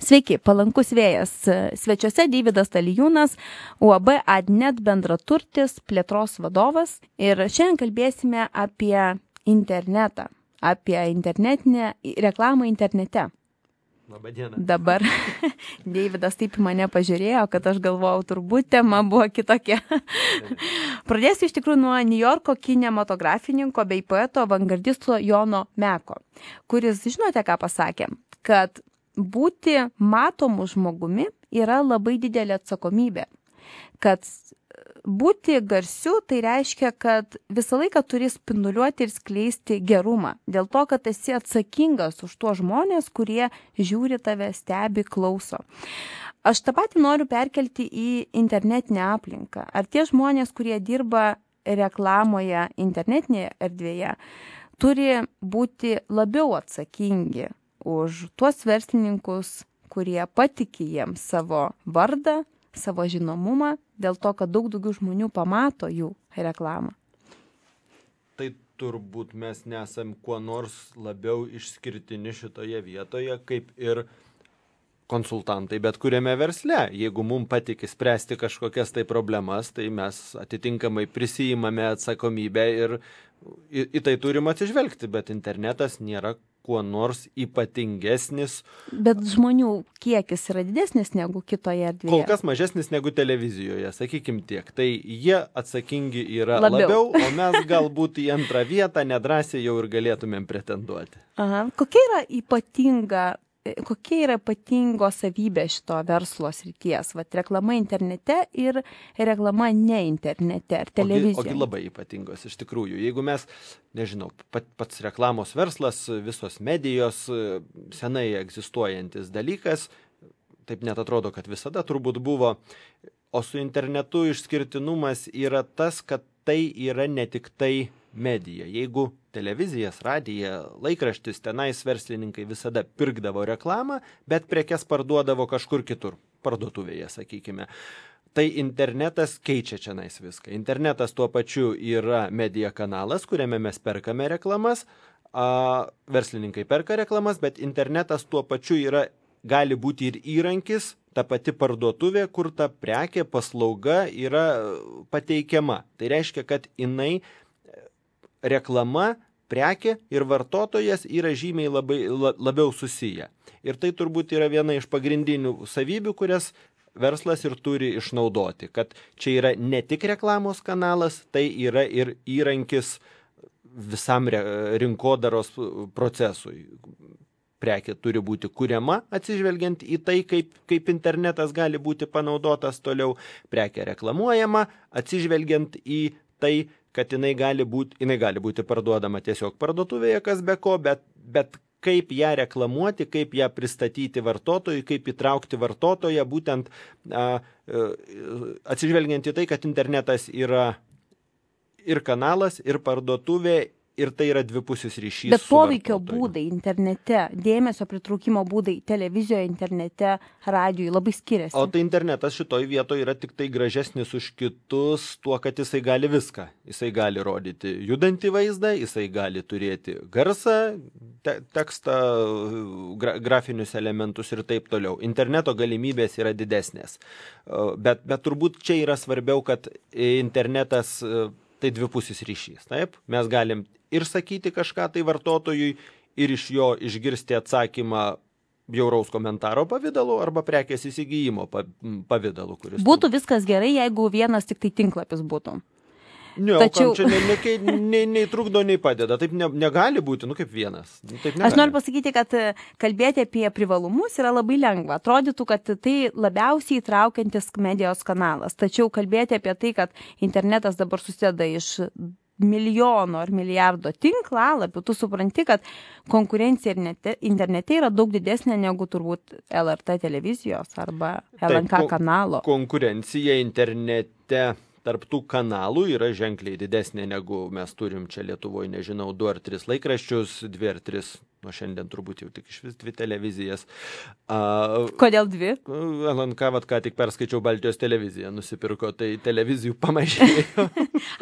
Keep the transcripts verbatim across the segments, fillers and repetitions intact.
Sveiki, palankus vėjas. Svečiuose Deividas Talijūnas, U A B Adnet bendraturtis, plėtros vadovas. Ir šiandien kalbėsime apie internetą, apie internetinę reklamą internete. Labadiena. Dabar Deividas taip į mane pažiūrėjo, kad aš galvojau, turbūt tema buvo kitokia. Pradėsiu iš tikrųjų nuo Niujorko kinematografininko bei poeto avangardisto Jono Meko, kuris, žinote, ką pasakė, kad būti matomu žmogumi yra labai didelė atsakomybė. Kad būti garsiu tai reiškia, kad visą laiką turi spinduliuoti ir skleisti gerumą. Dėl to, kad esi atsakingas už tuos žmonės, kurie žiūri tave, stebi, klauso. Aš tą patį noriu perkelti į internetinę aplinką. Ar tie žmonės, kurie dirba reklamoje internetinėje erdvėje, turi būti labiau atsakingi už tuos verslininkus, kurie patiki jiems savo vardą, savo žinomumą, dėl to, kad daug daugiau žmonių pamato jų reklamą. Tai turbūt mes nesam kuo nors labiau išskirtini šitoje vietoje, kaip ir konsultantai, bet kuriame versle. Jeigu mums patikė spręsti kažkokias tai problemas, tai mes atitinkamai prisijimame atsakomybę ir į, į tai turim atsižvelgti, bet internetas nėra kuo nors ypatingesnis. Bet žmonių kiekis yra didesnis negu kitoje erdvėje. Kol kas mažesnis negu televizijoje, sakykim tiek. Tai jie atsakingi yra labiau, labiau o mes galbūt į antrą vietą nedrąsiai jau ir galėtumėm pretenduoti. Aha. Kokia yra ypatinga, kokia yra ypatingo savybė šito verslo srities? Vat reklama internete ir reklama ne internete ar televizijoje. Ogi, ogi labai ypatingos iš tikrųjų. Jeigu mes, nežinau, pat, pats reklamos verslas, visos medijos, senai egzistuojantis dalykas, taip net atrodo, kad visada turbūt buvo, o su internetu išskirtinumas yra tas, kad tai yra ne tik tai medija. Jeigu televizijas, radija, laikraštis, tenais verslininkai visada pirkdavo reklamą, bet prekes parduodavo kažkur kitur, parduotuvėje, sakykime. Tai internetas keičia čionais viską. Internetas tuo pačiu yra medija kanalas, kuriame mes perkame reklamas, a, verslininkai perka reklamas, bet internetas tuo pačiu yra, gali būti ir įrankis, ta pati parduotuvė, kur ta prekė, paslauga yra pateikiama. Tai reiškia, kad jinai reklama, prekė ir vartotojas yra žymiai labai, labiau susiję. Ir tai turbūt yra viena iš pagrindinių savybių, kurias verslas ir turi išnaudoti. Kad čia yra ne tik reklamos kanalas, tai yra ir įrankis visam rinkodaros procesui. Prekė turi būti kuriama, atsižvelgiant į tai, kaip, kaip internetas gali būti panaudotas toliau. Prekė reklamuojama, atsižvelgiant į tai, kad jinai gali būti, jinai gali būti parduodama tiesiog parduotuvėje, kas be ko, bet, bet kaip ją reklamuoti, kaip ją pristatyti vartotojui, kaip įtraukti vartotoją, būtent a, a, atsižvelgiant į tai, kad internetas yra ir kanalas, ir parduotuvė, ir tai yra dvipusis ryšys. Bet poveikio būdai internete, dėmesio pritraukimo būdai televizijoje, internete, radijui labai skiriasi. O tai internetas šitoj vietoje yra tik tai gražesnis už kitus tuo, kad jisai gali viską. Jisai gali rodyti judantį vaizdą, jisai gali turėti garsą, te tekstą, gra grafinius elementus ir taip toliau. Interneto galimybės yra didesnės. Bet, bet turbūt čia yra svarbiau, kad internetas tai dvipusis ryšys. Taip? Mes galim ir sakyti kažką tai vartotojui, ir iš jo išgirsti atsakymą bjauraus komentaro pavidalu arba prekės įsigijimo pavidalu. Kuris būtų viskas gerai, jeigu vienas tik tai tinklapis būtų. Ne, Tačiau... čia nei, nei, nei, nei trukdo, nei padeda. Taip ne, negali būti, nu kaip vienas. Taip negali. Aš noriu pasakyti, kad kalbėti apie privalumus yra labai lengva. Atrodytų, kad tai labiausiai įtraukiantis medijos kanalas. Tačiau kalbėti apie tai, kad internetas dabar susideda iš milijono ar milijardo tinklalapių, tu supranti, kad konkurencija internete yra daug didesnė negu turbūt L R T televizijos arba L N K Taip, kanalo. Konkurencija internete tarp tų kanalų yra ženkliai didesnė negu mes turim čia Lietuvoje, nežinau, du ar tris laikraščius, dvi ar tris nuo šiandien turbūt jau tik iš vis dvi televizijas. A, Kodėl dvi? L N K, vat, ką tik perskaičiau, Baltijos televiziją nusipirko, tai televizijų pamažėjo.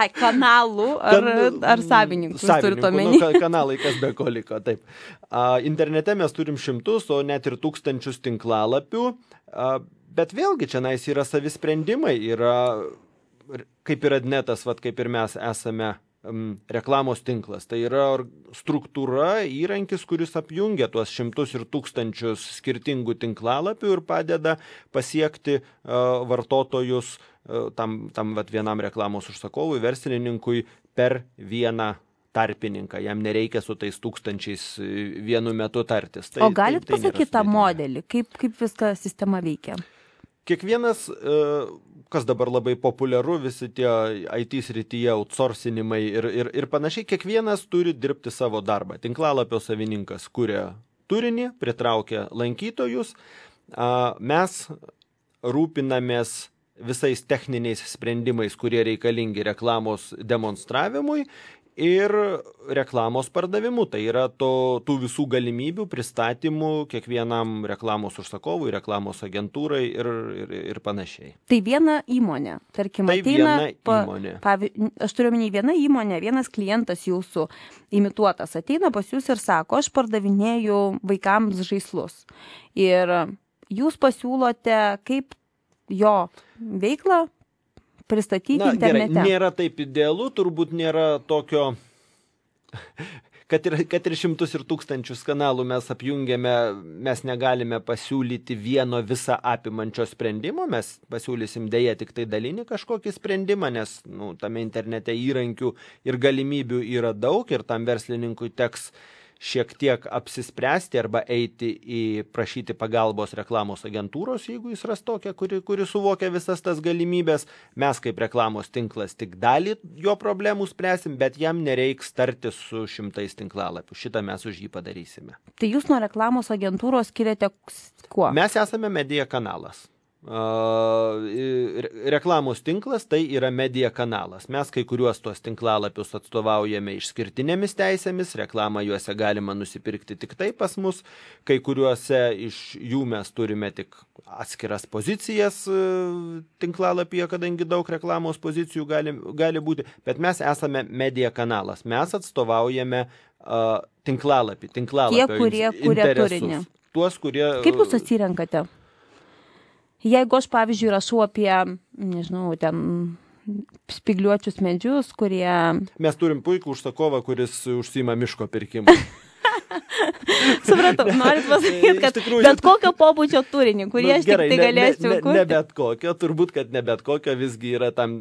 Ai, kanalų ar, Kan- ar savininkų, jūs turite savininkų, omeny? nu, ka- kanalai, kas be ko liko, taip. A, internete mes turim šimtus, o net ir tūkstančius tinklalapių, a, bet vėlgi čia nais yra savisprendimai, yra kaip ir Adnetas, vat, kaip ir mes esame um, reklamos tinklas. Tai yra or- struktūra, įrankis, kuris apjungia tuos šimtus ir tūkstančius skirtingų tinklalapių ir padeda pasiekti uh, vartotojus uh, tam, tam vat, vienam reklamos užsakovui, verslininkui per vieną tarpininką. Jam nereikia su tais tūkstančiais e, vienu metu tartis. Tai, O galit tai, tai nėra pasakyti tą sudėtinga. modelį, kaip, kaip viską sistema veikia? Kiekvienas, e, kas dabar labai populiaru, visi tie I T srityje, outsourcinimai ir, ir, ir panašiai, kiekvienas turi dirbti savo darbą. Tinklalapio savininkas kuria turinį, pritraukia lankytojus, a, mes rūpinamės visais techniniais sprendimais, kurie reikalingi reklamos demonstravimui ir reklamos pardavimu. Tai yra to, tų visų galimybių pristatymų kiekvienam reklamos užsakovui, reklamos agentūrai ir, ir, ir panašiai. Tai viena įmonė, tarkim, Tai ateina, viena pa- įmonė. pavyzdžiui, aš turiu omeny vieną įmonę, vienas klientas jūsų imituotas ateina pas jūs ir sako, aš pardavinėju vaikams žaislus. Ir jūs pasiūlote, kaip jo veiklą pristatyti Na, gerai, internete. nėra taip idealu, turbūt nėra tokio, kad ir, kad ir šimtus ir tūkstančius kanalų mes apjungiame, mes negalime pasiūlyti vieno visą apimančio sprendimo, mes pasiūlysim dėja tik tai dalinį kažkokį sprendimą, nes nu, tame internete įrankių ir galimybių yra daug ir tam verslininkui teks šiek tiek apsispręsti arba eiti į prašyti pagalbos reklamos agentūros, jeigu jis ras tokią, kuri, kuri suvokia visas tas galimybės. Mes kaip reklamos tinklas tik dalį jo problemų spręsim, bet jam nereiks tartis su šimtais tinklalapių. Šitą mes už jį padarysime. Tai jūs nuo reklamos agentūros skiriate kuo? Mes esame medija kanalas. Uh, re- reklamos tinklas tai yra medija kanalas. Mes kai kuriuos tuos tinklalapius atstovaujame išskirtinėmis teisėmis, reklamą juose galima nusipirkti tik tai pas mus, kai kuriuose iš jų mes turime tik atskiras pozicijas uh, tinklalapyje, kadangi daug reklamos pozicijų gali, gali būti, bet mes esame medija kanalas. Mes atstovaujame uh, tinklalapį, tinklalapio Tie, kurie in- kuria interesus. turinį. Tuos, kurie... Kaip jūs atsirenkate? Jeigu aš, pavyzdžiui, rašau apie, nežinau, ten spigliuočius medžius, kurie... Mes turim puikų užsakovą, kuris užsima miško pirkimą. Supratau, norit pasakyti, Iš kad tikrųjų- bet kokio pobūdžio turinį, kurį Nu, aš gerai, tik tai ne- galėsiu ne, ne, kurti. ne bet kokio, turbūt, kad ne bet kokio, visgi yra tam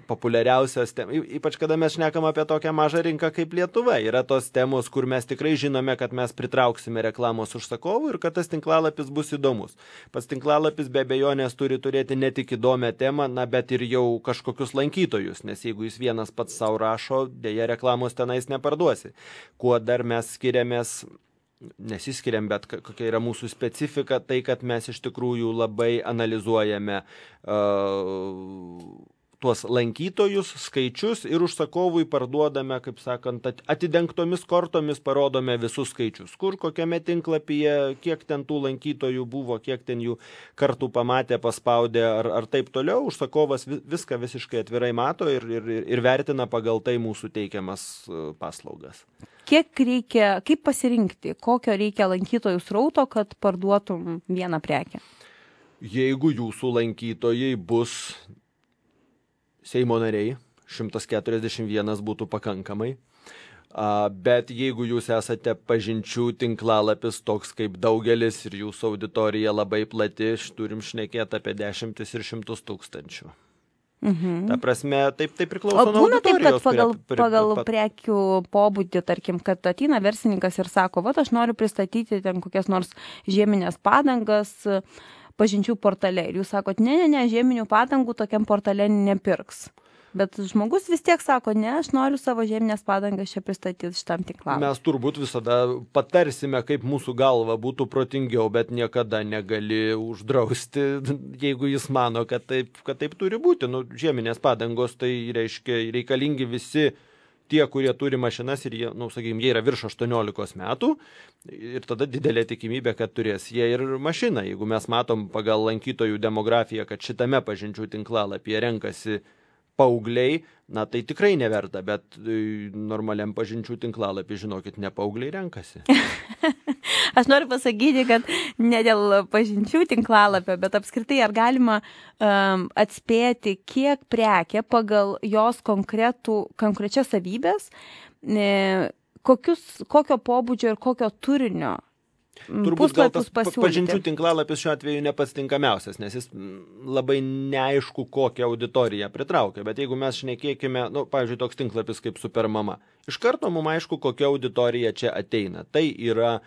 populiariausios temos. Ypač, kada mes šnekam apie tokią mažą rinką kaip Lietuva. Yra tos temos, kur mes tikrai žinome, kad mes pritrauksime reklamos užsakovų ir kad tas tinklalapis bus įdomus. Pats tinklalapis be abejonės turi turėti ne tik įdomią temą, na, bet ir jau kažkokius lankytojus, nes jeigu jis vienas pats savo rašo, dėja reklamos tenais neparduosi. Kuo dar mes skiriamės, nesiskiriam, bet ka- kokia yra mūsų specifika, tai kad mes iš tikrųjų labai analizuojame uh, tuos lankytojus, skaičius ir užsakovui parduodame, kaip sakant, at- atidengtomis kortomis parodome visus skaičius. Kur, kokiame tinklapyje, kiek ten tų lankytojų buvo, kiek ten jų kartų pamatė, paspaudė ar, ar taip toliau. Užsakovas vi- viską visiškai atvirai mato ir, ir, ir vertina pagal tai mūsų teikiamas uh, paslaugas. Kiek reikia, kaip pasirinkti, kokio reikia lankytojų srauto, kad parduotum vieną prekę? Jeigu jūsų lankytojai bus Seimo nariai, šimtas keturiasdešimt vienas būtų pakankamai. A, bet jeigu jūs esate pažinčių tinklalapis toks kaip daugelis ir jūsų auditorija labai plati, š- turim šnekėti apie dešimtis ir šimtus tūkstančių. Mhm. Ta prasme, taip, taip priklauso O nuo būna taip, kad auditorijos. pagal, kuria- pri- pagal pat- prekių pobūdį, tarkim, kad ateina verslininkas ir sako, va, aš noriu pristatyti ten kokias nors žieminės padangas e, pažinčių portale. Ir jūs sakot, ne, ne, ne, žieminių padangų tokiam portale nepirks. Bet žmogus vis tiek sako, ne, aš noriu savo žieminės padangas čia pristatyti šitam tinklui. Mes turbūt visada patarsime, kaip mūsų galva būtų protingiau, bet niekada negali uždrausti, jeigu jis mano, kad taip, kad taip turi būti. Nu, žieminės padangos tai reiškia reikalingi visi tie, kurie turi mašinas ir jie, nu, sakykime, jie yra virš aštuoniolikos metų ir tada didelė tikimybė, kad turės jie ir mašiną. Jeigu mes matom pagal lankytojų demografiją, kad šitame pažinčių tinklalapyje renkasi paaugliai, na tai tikrai neverta, bet normaliam pažinčių tinklalapį, žinokit, ne paaugliai renkasi. Aš noriu pasakyti, kad ne dėl pažinčių tinklalapio, bet apskritai ar galima um, atspėti, kiek prekė pagal jos konkretų, konkrečias savybės, e, kokius, kokio pobūdžio ir kokio turinio Turbūt gal tas pažinčių tinklalapis šiuo atveju ne pats tinkamiausias, nes jis labai neaišku, kokią auditoriją pritraukia. Bet jeigu mes šnekėkime, nu, pavyzdžiui, toks tinklapis kaip Supermama, iš karto mums aišku, kokia auditorija čia ateina. Tai yra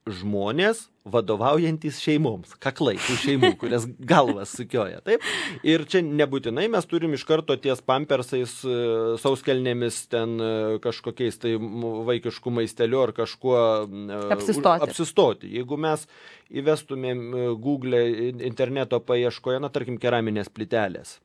žmonės vadovaujantis šeimoms, kaklai tų šeimų, kurias galvas sukioja. Taip? Ir čia nebūtinai mes turim iš karto ties pampersais, sauskelnėmis, ten kažkokiais tai vaikiškų maisteliu ar kažkuo apsistoti. apsistoti. Jeigu mes įvestumėm Google interneto paieškoje, na, tarkim, keraminės plytelės,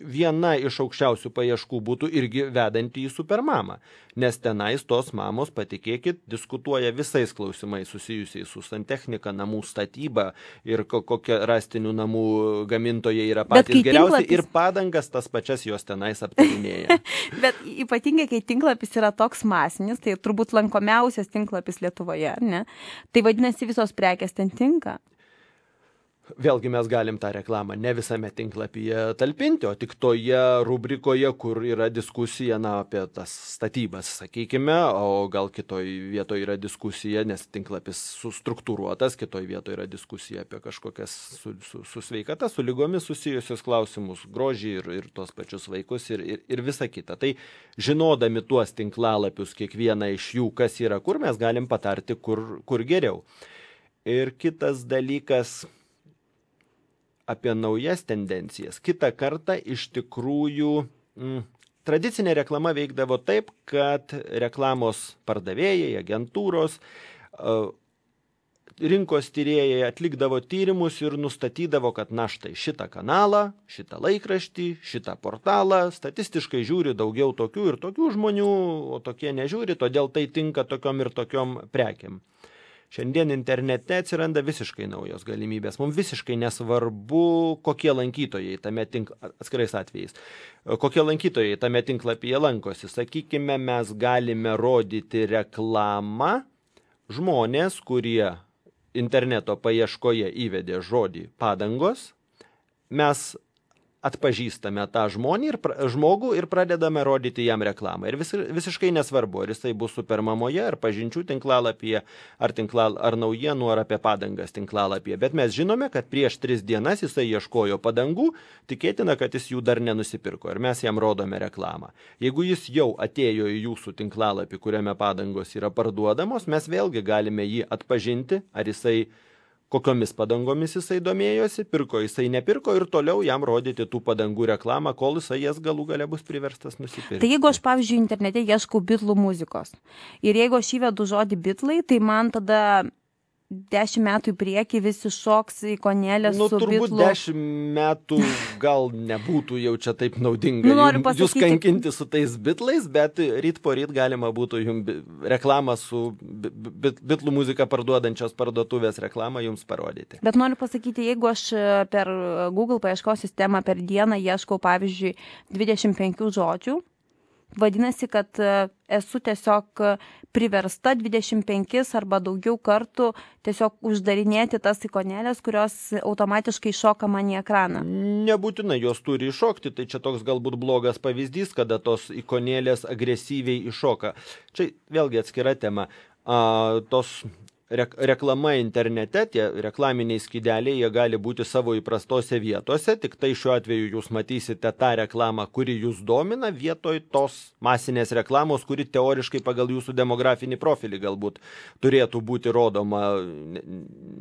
viena iš aukščiausių paieškų būtų irgi vedanti į Supermamą, nes tenais tos mamos, patikėkit, diskutuoja visais klausimais susijusiais su santechnika, namų statyba ir kokie rastinių namų gamintojai yra patys geriausi tinklapis... ir padangas tas pačias jos tenais aptarinėja. Bet ypatingai, kai tinklapis yra toks masinis, tai turbūt lankomiausias tinklapis Lietuvoje, ne? Tai vadinasi, visos prekės ten tinka. Vėlgi mes galim tą reklamą ne visame tinklapyje talpinti, o tik toje rubrikoje, kur yra diskusija, na, apie tas statybas, sakykime, o gal kitoj vietoje yra diskusija, nes tinklapis sustruktūruotas, kitoj vietoje yra diskusija apie kažkokias su, su, su sveikata, su lygomis susijusius klausimus, grožį ir, ir tos pačius vaikus ir, ir, ir visa kita. Tai žinodami tuos tinklalapius, kiekvieną iš jų, kas yra kur, mes galim patarti, kur, kur geriau. Ir kitas dalykas apie naujas tendencijas. Kitą kartą iš tikrųjų m, tradicinė reklama veikdavo taip, kad reklamos pardavėjai, agentūros, rinkos tyrėjai atlikdavo tyrimus ir nustatydavo, kad na štai šitą kanalą, šitą laikraštį, šitą portalą statistiškai žiūri daugiau tokių ir tokių žmonių, o tokie nežiūri, todėl tai tinka tokiom ir tokiom prekiam. Šiandien internete atsiranda visiškai naujos galimybės. Mums visiškai nesvarbu, kokie lankytojai tame tink... atskirais atvejais, kokie lankytojai tame tinklapyje lankosi. Sakykime, mes galime rodyti reklamą žmonės, kurie interneto paieškoje įvedė žodį padangos. Mes atpažįstame tą žmonį ir, žmogų ir pradedame rodyti jam reklamą. Ir vis, visiškai nesvarbu, ar jisai bus Supermamoje, ar pažinčių tinklalapyje, ar, tinklal, ar naujienų, ar apie padangas tinklalapyje. Bet mes žinome, kad prieš tris dienas jisai ieškojo padangų, tikėtina, kad jis jų dar nenusipirko. Ir mes jam rodome reklamą. Jeigu jis jau atėjo į jūsų tinklalapį, kuriame padangos yra parduodamos, mes vėlgi galime jį atpažinti, ar jisai kokiomis padangomis jisai domėjosi, pirko jisai nepirko ir toliau jam rodyti tų padangų reklamą, kol jisai jas galų gale bus priverstas nusipirkti. Tai jeigu aš, pavyzdžiui, internete ieškau bitlų muzikos ir jeigu aš įvedu žodį bitlai, tai man tada dešimt metų į priekį visi šoks ikonėlės nu, su bitlų. Nu, turbūt dešimt metų gal nebūtų jau čia taip naudinga nu, pasakyti... jūs kankinti su tais bitlais, bet ryt po ryt galima būtų jums reklamą su bit, bitlų muziką parduodančios parduotuvės reklamą jums parodyti. Bet noriu pasakyti, jeigu aš per Google paieškos sistemą per dieną ieškau, pavyzdžiui, dvidešimt penkių žodžių, vadinasi, kad esu tiesiog priversta dvidešimt penkis arba daugiau kartų tiesiog uždarinėti tas ikonėlės, kurios automatiškai šoka man į ekraną. Nebūtinai jos turi iššokti, tai čia toks galbūt blogas pavyzdys, kada tos ikonėlės agresyviai iššoka. Čia vėlgi atskira tema. A, tos reklama internete, tie reklaminiai skydeliai, jie gali būti savo įprastose vietose, tik tai šiuo atveju jūs matysite tą reklamą, kuri jūs domina, vietoj tos masinės reklamos, kuri teoriškai pagal jūsų demografinį profilį galbūt turėtų būti rodoma, ne,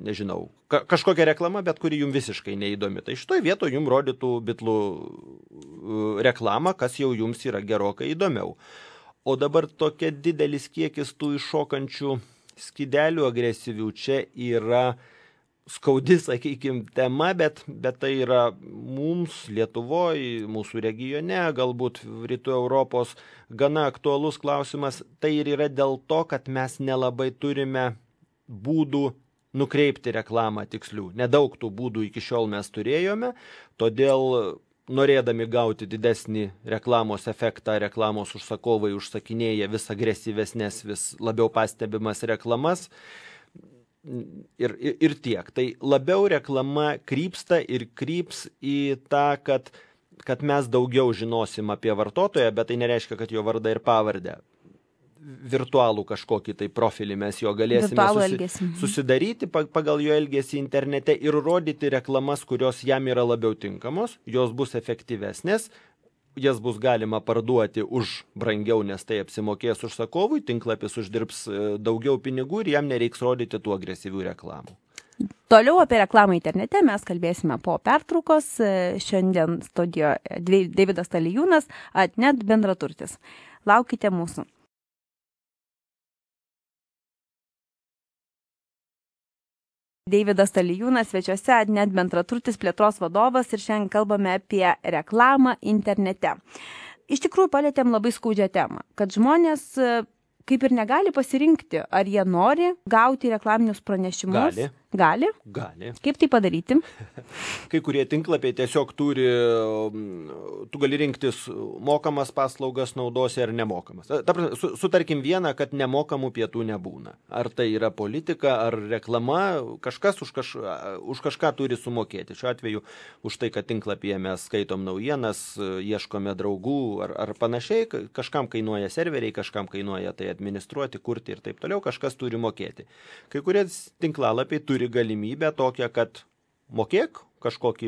nežinau, ka, kažkokia reklama, bet kuri jums visiškai neįdomi. Tai šitoj vietoj jums rodytų bitlų reklamą, kas jau jums yra gerokai įdomiau. O dabar tokia didelis kiekis tų iššokančių skydelių agresyvių čia yra skaudi, sakykime, tema, bet, bet tai yra mums Lietuvoje, mūsų regione, galbūt Rytų Europos gana aktualus klausimas. Tai ir yra dėl to, kad mes nelabai turime būdų nukreipti reklamą tikslių. Nedaug tų būdų iki šiol mes turėjome, todėl norėdami gauti didesnį reklamos efektą, reklamos užsakovai užsakinėja vis agresyvesnės, vis labiau pastebimas reklamas ir, ir, ir tiek. Tai labiau reklama krypsta ir kryps į tą, kad, kad mes daugiau žinosim apie vartotoją, bet tai nereiškia, kad jo vardą ir pavardę. Virtualų kažkokį tai profilį mes jo galėsime susi, susidaryti pagal jo elgesį internete ir rodyti reklamas, kurios jam yra labiau tinkamos, jos bus efektyvesnės, jas bus galima parduoti už brangiau, nes tai apsimokės užsakovui, tinklapis uždirbs daugiau pinigų ir jam nereiks rodyti tų agresyvių reklamų. Toliau apie reklamą internete mes kalbėsime po pertraukos. Šiandien studijoje Deividas Talijūnas, Atnet bendraturtis. Laukite mūsų. Deividas Talijūnas svečiuose, Atnet bendraturtis plėtros vadovas ir šiandien kalbame apie reklamą internete. Iš tikrųjų palietėm labai skaudžią temą, kad žmonės kaip ir negali pasirinkti, ar jie nori gauti reklaminius pranešimus. Gali. Gali? Gali. Kaip tai padaryti? Kai kurie tinklapiai tiesiog turi, tu gali rinktis mokamas paslaugas naudosi ar nemokamas. Su, sutarkim vieną, kad nemokamų pietų nebūna. Ar tai yra politika, ar reklama, kažkas už, kaž, už kažką turi sumokėti. Šiuo atveju už tai, kad tinklapyje mes skaitom naujienas, ieškome draugų ar, ar panašiai, kažkam kainuoja serveriai, kažkam kainuoja tai administruoti, kurti ir taip toliau, kažkas turi mokėti. Kai kurie tinklalapiai turi galimybę tokią, kad mokėk kažkokį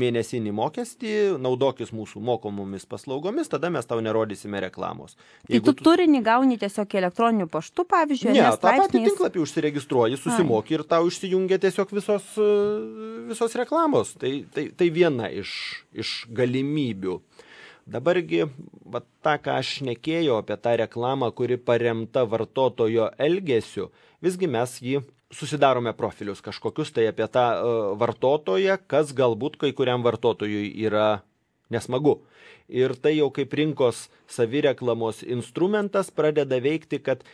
mėnesinį mokestį, naudokis mūsų mokomomis paslaugomis, tada mes tau nerodysime reklamos. Tai Jeigu tu, tu turinį gauni tiesiog elektroniniu paštu, pavyzdžiui, ne, tą patį tinklapį užsiregistruoji, susimoki Ai. ir tau išsijungia tiesiog visos, visos reklamos. Tai, tai, tai viena iš, iš galimybių. Dabargi, va, tą, ką aš šnekėjau apie tą reklamą, kuri paremta vartotojo elgesiu, visgi mes jį susidarome profilius kažkokius tai apie tą uh, vartotoją, kas galbūt kai kuriam vartotojui yra nesmagu. Ir tai jau kaip rinkos savireklamos instrumentas pradeda veikti, kad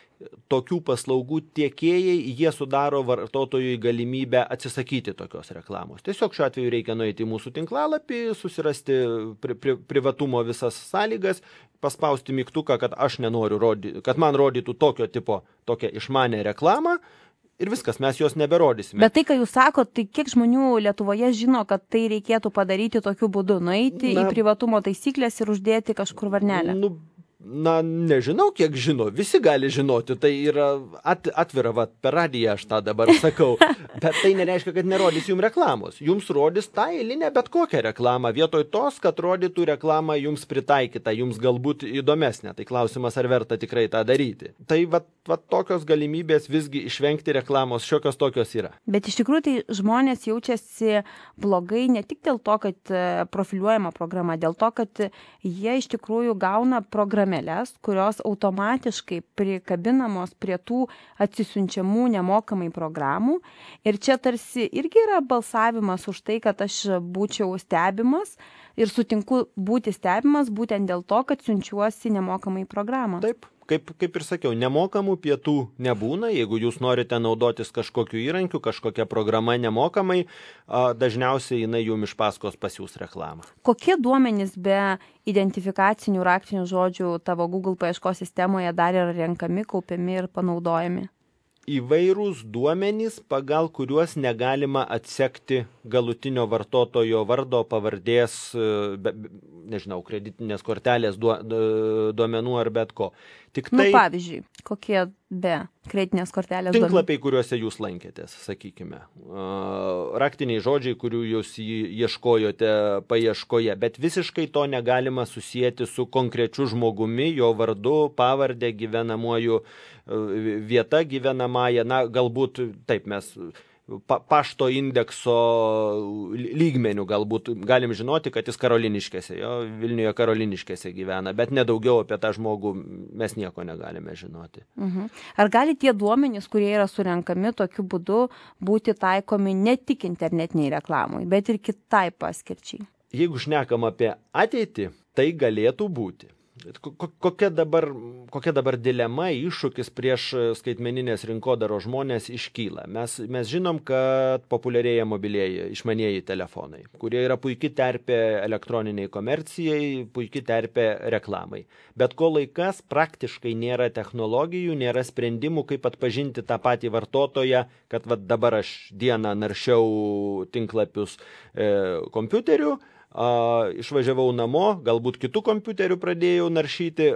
tokių paslaugų tiekėjai, jie sudaro vartotojui galimybę atsisakyti tokios reklamos. Tiesiog šiuo atveju reikia nueiti į mūsų tinklalapį, susirasti pri, pri, privatumo visas sąlygas, paspausti mygtuką, kad aš nenoriu rodyti, kad man rodytų tokio tipo, tokią išmanę reklamą. Ir viskas, mes jos neberodysime. Bet tai, ką jūs sakot, tai kiek žmonių Lietuvoje žino, kad tai reikėtų padaryti tokiu būdu, nueiti na, į privatumo taisyklės ir uždėti kažkur varnelę? Nu, na, nežinau, kiek žino. Visi gali žinoti. Tai yra at, atvira, va, per radiją aš tą dabar sakau. Bet tai nereiškia, kad nerodys jums reklamos. Jums rodys tą eilinę bet kokią reklamą. Vietoj tos, kad rodytų reklamą jums pritaikytą, jums galbūt įdomesnė. Tai klausimas, ar verta tikrai tą daryti. Tai va, va tokios galimybės visgi išvengti reklamos, šiokios tokios yra. Bet iš tikrųjų tai žmonės jaučiasi blogai ne tik dėl to, kad profiliuojama programa, dėl to, kad jie iš tikrųjų gauna programėles, kurios automatiškai prikabinamos prie tų atsisiunčiamų nemokamai programų. Ir čia tarsi irgi yra balsavimas už tai, kad aš būčiau stebimas ir sutinku būti stebimas būtent dėl to, kad siunčiuosi nemokamai programą. Taip. Kaip, kaip ir sakiau, nemokamų pietų nebūna. Jeigu jūs norite naudotis kažkokiu įrankiu, kažkokia programa nemokamai, dažniausiai jinai jums iš paskos pasiūs reklamą. Kokie duomenys be identifikacinių raktinių žodžių tavo Google paieškos sistemoje dar yra renkami, kaupiami ir panaudojami? Įvairūs duomenys, pagal kuriuos negalima atsekti galutinio vartotojo vardo, pavardės, be, nežinau, kreditinės kortelės duomenų ar bet ko. Tik tai, nu, pavyzdžiui, kokie be kreditinės kortelės duomenų? Tinklapiai, kuriuose jūs lankėtės, sakykime. Raktiniai žodžiai, kurių jūs ieškojote paieškoje, bet visiškai to negalima susijęti su konkrečiu žmogumi, jo vardu, pavardė, gyvenamuoju vieta gyvenamąją. Na, galbūt taip mes pa, pašto indekso lygmenių galbūt galim žinoti, kad jis Karoliniškėse, jo Vilniuje Karoliniškėse gyvena, bet nedaugiau apie tą žmogų mes nieko negalime žinoti. Mhm. Ar gali tie duomenys, kurie yra surenkami tokiu būdu, būti taikomi ne tik internetiniai reklamai, bet ir kitai paskirčiai? Jeigu šnekam apie ateitį, tai galėtų būti. Kokia dabar, kokia dabar dilema, iššūkis prieš skaitmeninės rinkodaros žmonės iškyla? Mes, mes žinom, kad populiarėja mobilieji išmanieji telefonai, kurie yra puikiai terpė elektroniniai komercijai, puikiai terpė reklamai. Bet kol laikas praktiškai nėra technologijų, nėra sprendimų, kaip atpažinti tą patį vartotoją, kad va, dabar aš dieną naršiau tinklapius e, kompiuteriu, A, išvažiavau namo, galbūt kitų kompiuterių pradėjau naršyti,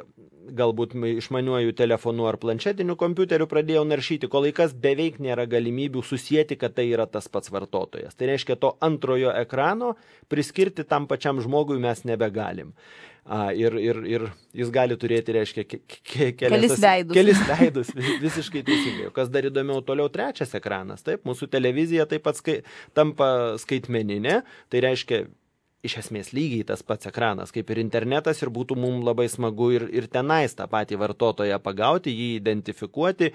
galbūt išmaniuoju telefonu ar planšetiniu kompiuteriu pradėjau naršyti, kol laikas beveik nėra galimybių susijęti, kad tai yra tas pats vartotojas. Tai reiškia, to antrojo ekrano priskirti tam pačiam žmogui mes nebegalim. A, ir, ir, ir jis gali turėti, reiškia, ke, ke, kelis veidus. Kelis veidus, visiškai teisingai. Kas dar įdomiau, toliau trečias ekranas, taip, mūsų televizija taip pat skai, tampa skaitmeninė, tai reiškia, iš esmės lygiai tas pats ekranas, kaip ir internetas, ir būtų mums labai smagu ir, ir tenais tą patį vartotoją pagauti, jį identifikuoti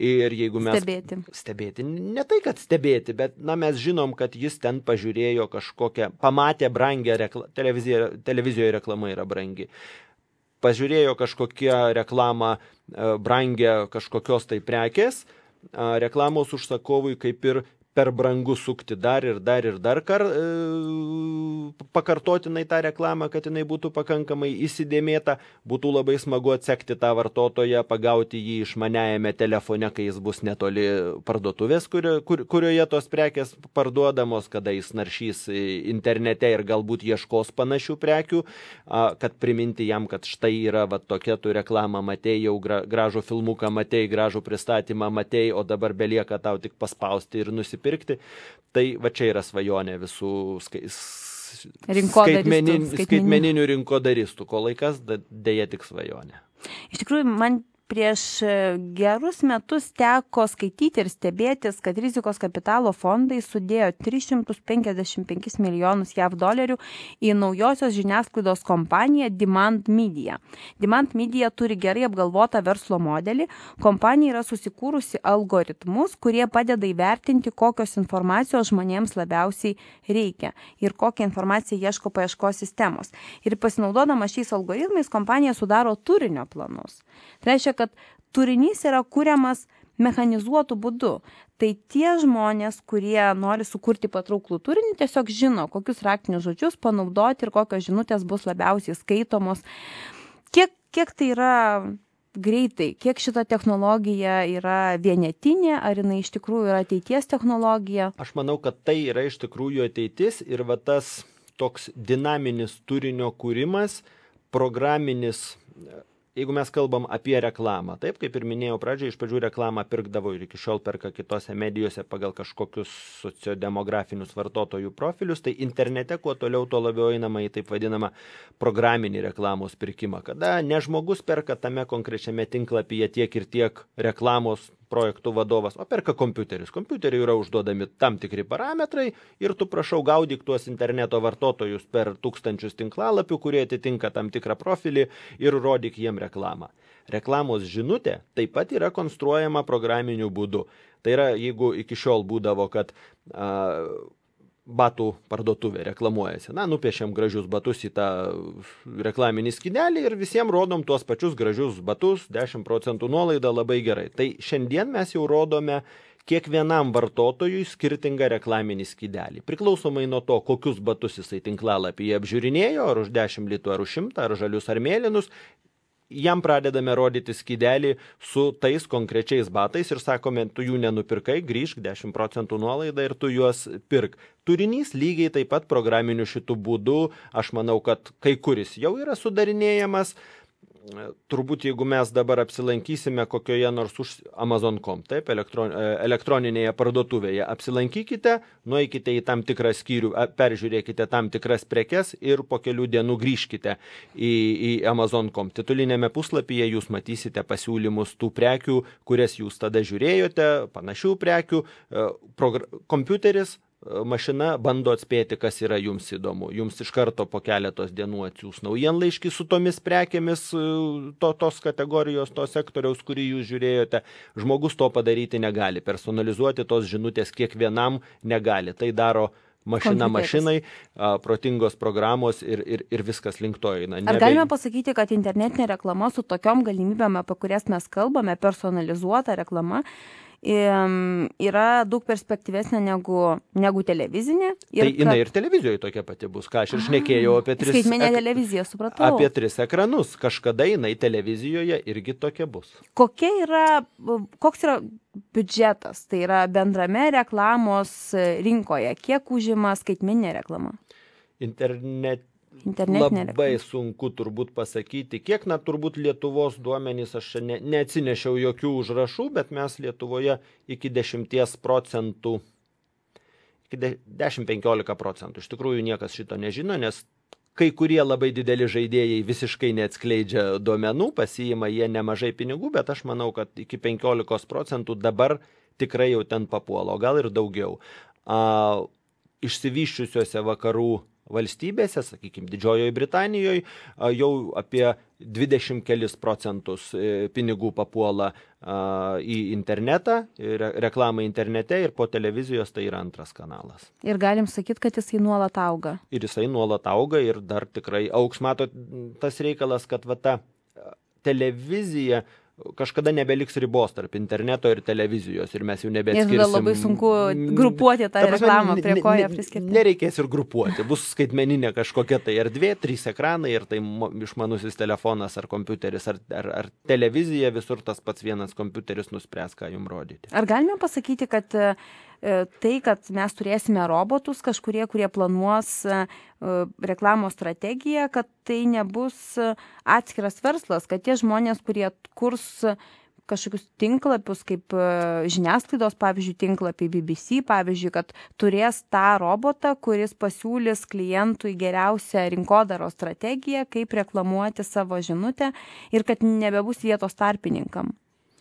ir jeigu mes... Stebėti. Stebėti. Ne tai, kad stebėti, bet na, mes žinom, kad jis ten pažiūrėjo kažkokią, pamatė brangią reklamą, televizijoje, televizijoje reklama yra brangi. Pažiūrėjo kažkokią reklamą brangią kažkokios tai prekės, reklamos užsakovui kaip ir per brangu sukti dar ir dar ir dar kar, e, pakartotinai tą reklamą, kad jinai būtų pakankamai įsidėmėta, būtų labai smagu atsekti tą vartotoją, pagauti jį išmaniajame telefone, kai jis bus netoli parduotuvės, kurio, kur, kurioje tos prekės parduodamos, kada jis naršys internete ir galbūt ieškos panašių prekių, a, kad priminti jam, kad štai yra va, tokia tu reklamą matei, jau gra, gražų filmuką matei, gražų pristatymą matei, o dabar belieka tau tik paspausti ir nusipirkti. Pirkti, tai va čia yra svajonė visų skai, skaitmenin, skaitmeninių rinkodaristų, ko laikas dėja tik svajonė. Iš tikrųjų, man prieš gerus metus teko skaityti ir stebėtis, kad rizikos kapitalo fondai sudėjo tris šimtus penkiasdešimt penkis milijonus jav dolerių į naujosios žiniasklaidos kompaniją Demand Media. Demand Media turi gerai apgalvotą verslo modelį. Kompanija yra susikūrusi algoritmus, kurie padeda įvertinti, kokios informacijos žmonėms labiausiai reikia ir kokią informaciją ieško paieškos sistemos. Ir pasinaudodama šiais algoritmais, kompanija sudaro turinio planus. Tai reiškia, kad turinys yra kuriamas mechanizuotų būdu. Tai tie žmonės, kurie nori sukurti patrauklų turinį, tiesiog žino, kokius raktinius žodžius panaudoti ir kokios žinutės bus labiausiai skaitomos. Kiek, kiek tai yra greitai, kiek šita technologija yra vienetinė, ar jinai iš tikrųjų yra ateities technologija? Aš manau, kad tai yra iš tikrųjų ateitis ir va tas toks dinaminis turinio kūrimas, programinis. Jeigu mes kalbam apie reklamą, taip, kaip ir minėjau pradžioje, iš pradžių reklamą pirkdavo ir iki šiol perka kitose medijose pagal kažkokius sociodemografinius vartotojų profilius, tai internete kuo toliau, tuo labiau einama į taip vadinamą programinį reklamos pirkimą, kada ne žmogus perka tame konkrečiame tinklapyje tiek ir tiek reklamos projektų vadovas, o perka kompiuteris. Kompiuteriui yra užduodami tam tikri parametrai ir tu prašau gaudyk tuos interneto vartotojus per tūkstančius tinklalapių, kurie atitinka tam tikrą profilį ir rodyk jiem reklamą. Reklamos žinutė taip pat yra konstruojama programiniu būdu. Tai yra, jeigu iki šiol būdavo, kad a, batų parduotuvė reklamuojasi. Na, nupiešiam gražius batus į tą reklaminį skynelį ir visiems rodom tuos pačius gražius batus, dešimt procentų nuolaida, labai gerai. Tai šiandien mes jau rodome kiekvienam vartotojui skirtingą reklaminį skydelį. Priklausomai nuo to, kokius batus jisai tinklalapyje apžiūrinėjo, ar už dešimt litų, ar už šimtą, ar žalius, ar mėlynus, jam pradedame rodyti skydelį su tais konkrečiais batais ir sakome, tu jų nenupirkai, grįžk dešimt procentų nuolaidą ir tu juos pirk. Turinys lygiai taip pat programiniu šitų būdų, aš manau, kad kai kuris jau yra sudarinėjamas, turbūt jeigu mes dabar apsilankysime kokioje nors už Amazon taškas com, taip, elektron, elektroninėje parduotuvėje, apsilankykite, nueikite į tam tikrą skyrių, peržiūrėkite tam tikras prekes ir po kelių dienų grįžkite į, į Amazon taškas com. Titulinėme puslapyje jūs matysite pasiūlymus tų prekių, kurias jūs tada žiūrėjote, panašių prekių, kompiuteris, mašina bando atspėti, kas yra jums įdomu. Jums iš karto po keletos dienų atsiųs naujienlaiškį su tomis prekėmis to, tos kategorijos, to sektoriaus, kurį jūs žiūrėjote. Žmogus to padaryti negali. Personalizuoti tos žinutės kiekvienam negali. Tai daro mašina mašinai, protingos programos ir, ir, ir viskas link to eina. Ar galime pasakyti, kad internetinė reklama su tokiom galimybėm, apie kurias mes kalbame, personalizuota reklama, yra daug perspektyvesnė negu, negu televizinė. Ir tai jinai kad... ir televizijoje tokia pati bus, ką aš ir šnekėjau apie tris, skaitmeninę ek... televiziją, supratau. Apie tris ekranus. Kažkada jinai televizijoje irgi tokia bus. Kokia yra, koks yra biudžetas, tai yra bendrame reklamos rinkoje, kiek užima skaitmeninė reklama? Internet Internetinė labai reklama. Sunku turbūt pasakyti, kiek, na, turbūt Lietuvos duomenys, aš ne, neatsinešiau jokių užrašų, bet mes Lietuvoje iki dešimties procentų, iki dešimt penkiolika procentų. Iš tikrųjų niekas šito nežino, nes kai kurie labai dideli žaidėjai visiškai neatskleidžia duomenų, pasiima jie nemažai pinigų, bet aš manau, kad iki penkiolikos procentų dabar tikrai jau ten papuola, o gal ir daugiau. A, išsivyščiusiuose vakarų valstybėse, sakykime, Didžiojoje Britanijoje, jau apie dvidešimt kelis procentus pinigų papuola į internetą, reklamą internete ir po televizijos tai yra antras kanalas. Ir galim sakyti, kad jisai nuolat auga. Ir jisai nuolat auga ir dar tikrai augs. Matot, tas reikalas, kad va ta televizija kažkada nebeliks ribos tarp interneto ir televizijos ir mes jau nebeatskirsim. Ir tada labai sunku grupuoti tą ta prasme, reklamą, prie ko ją priskirti. Nereikės ir grupuoti. Bus skaitmeninė kažkokia tai erdvė, trys ekranai ir tai išmanusis telefonas ar kompiuteris ar, ar, ar televizija, visur tas pats vienas kompiuteris nuspręs, ką jums rodyti. Ar galime pasakyti, kad tai, kad mes turėsime robotus kažkurie, kurie planuos reklamos strategiją, kad tai nebus atskiras verslas, kad tie žmonės, kurie kurs kažkokius tinklapius, kaip žiniasklaidos, pavyzdžiui, tinklapį B B C, pavyzdžiui, kad turės tą robotą, kuris pasiūlys klientui geriausią rinkodaros strategiją, kaip reklamuoti savo žinutę ir kad nebebus vietos tarpininkam.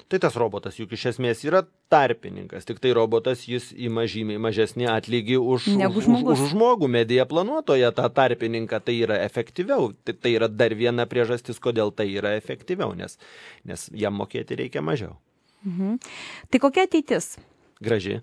Tai tas robotas juk iš esmės yra tarpininkas, tik tai robotas jis ima žymiai mažesnį atlygį už, už, už, už žmogų, medija planuotoje tą tarpininką, tai yra efektyviau. Tai, tai yra dar viena priežastis, kodėl tai yra efektyviau, nes, nes jam mokėti reikia mažiau. Mhm. Tai kokia ateitis? Graži.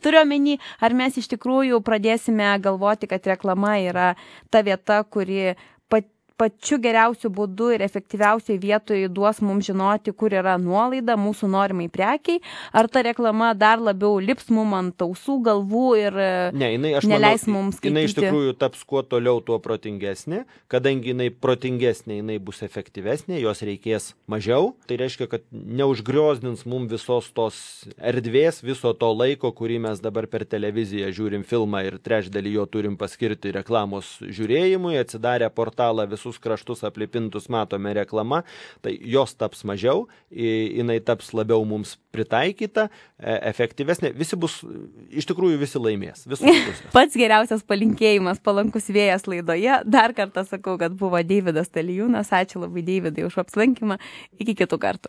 Turiu omeny, ar mes iš tikrųjų pradėsime galvoti, kad reklama yra ta vieta, kuri pat pačiu geriausiu būdu ir efektyviausiai vietoje duos mums žinoti, kur yra nuolaida mūsų norimai prekiai, ar ta reklama dar labiau lips mum ant ausų, galvų ir ne, jinai, aš neleis manau, mums skaityti. Jinai iš tikrųjų taps kuo toliau, tuo protingesnė, kadangi jinai protingesnė, jinai bus efektyvesnė, jos reikės mažiau, tai reiškia, kad neužgriozdins mums visos tos erdvės, viso to laiko, kurį mes dabar per televiziją žiūrim filmą ir trečdalį jo turim paskirti reklamos žiūrėjimui, atsidarę portalą visus kraštus aplipintus matome reklamą, tai jos taps mažiau, jinai taps labiau mums pritaikyta, efektyvesnė, visi bus, iš tikrųjų visi laimės. Pats geriausias palinkėjimas, palankus vėjas laidoje. Dar kartą sakau, kad buvo Deividas Talijūnas. Ačiū labai, Deividai, už apsilankymą. Iki kitų kartų.